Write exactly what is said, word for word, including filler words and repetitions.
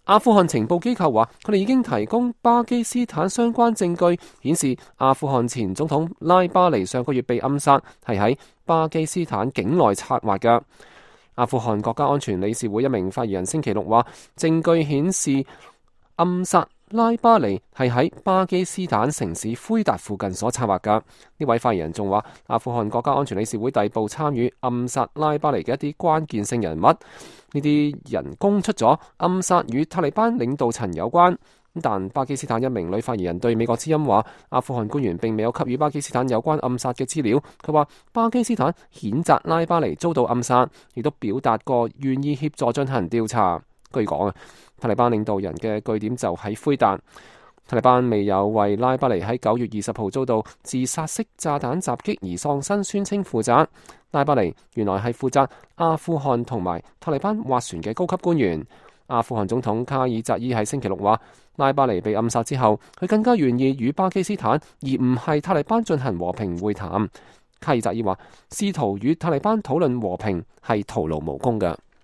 阿富汗情報機構話，佢哋已經提供巴基斯坦相關證據，顯示阿富汗前總統拉巴尼上個月被暗殺，係喺巴基斯坦境內策劃嘅。阿富汗國家安全理事會一名發言人星期六話，證據顯示暗殺拉巴尼係喺巴基斯坦城市奎達附近所策劃嘅。呢位發言人仲話，阿富汗國家安全理事會逮捕參與暗殺拉巴尼嘅一啲關鍵性人物，呢啲人供出咗暗殺與塔利班領導層有關。但巴基斯坦一名女發言人對美國之音話，阿富汗官員並未有給予巴基斯坦有關暗殺嘅資料。佢話巴基斯坦譴責拉巴尼遭到暗殺，亦都表達過願意協助進行調查。據講啊，塔利班領導人嘅據點就喺奎達。塔利班未有為拉巴尼喺九月二十號遭到自殺式炸彈襲擊而喪生宣稱負責。拉巴尼原來係負責阿富汗同埋塔利班斡旋嘅高級官員。阿富汗總統卡爾扎伊喺星期六話，拉巴尼被暗殺之後，佢更加願意與巴基斯坦而唔係塔利班進行和平會談。卡爾扎伊話，試圖與塔利班討論和平係徒勞無功嘅。